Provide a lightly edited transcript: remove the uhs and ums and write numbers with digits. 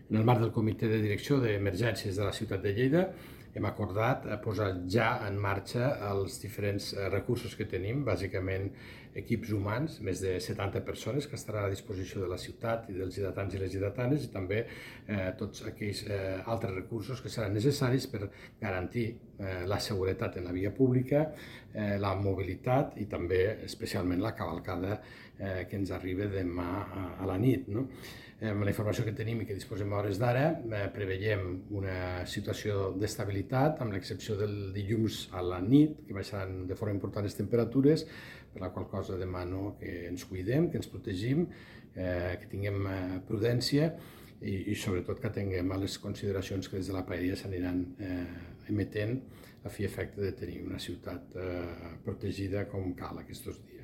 En el marc del comitè de direcció d'emergències de la ciutat de Lleida hem acordat posar ja en marxa els diferents recursos que tenim, bàsicament equips humans, més de 70 persones que estaran a disposició de la ciutat i dels lleidatans i les lleidatanes, i també tots aquells altres recursos que seran necessaris per garantir la seguretat en la via pública, la mobilitat i també especialment la cavalcada que ens arriba demà a la nit. Amb la informació que tenim i que disposem a hores d'ara, preveiem una situació d'estabilitat, amb l'excepció del dilluns a la nit, que baixaran de forma important les temperatures, per la qual cosa demano que ens cuidem, que ens protegim, que tinguem prudència i sobretot que atenguem a les consideracions que des de la paeria s'aniran emetent a fi i efecte de tenir una ciutat protegida com cal aquests dies.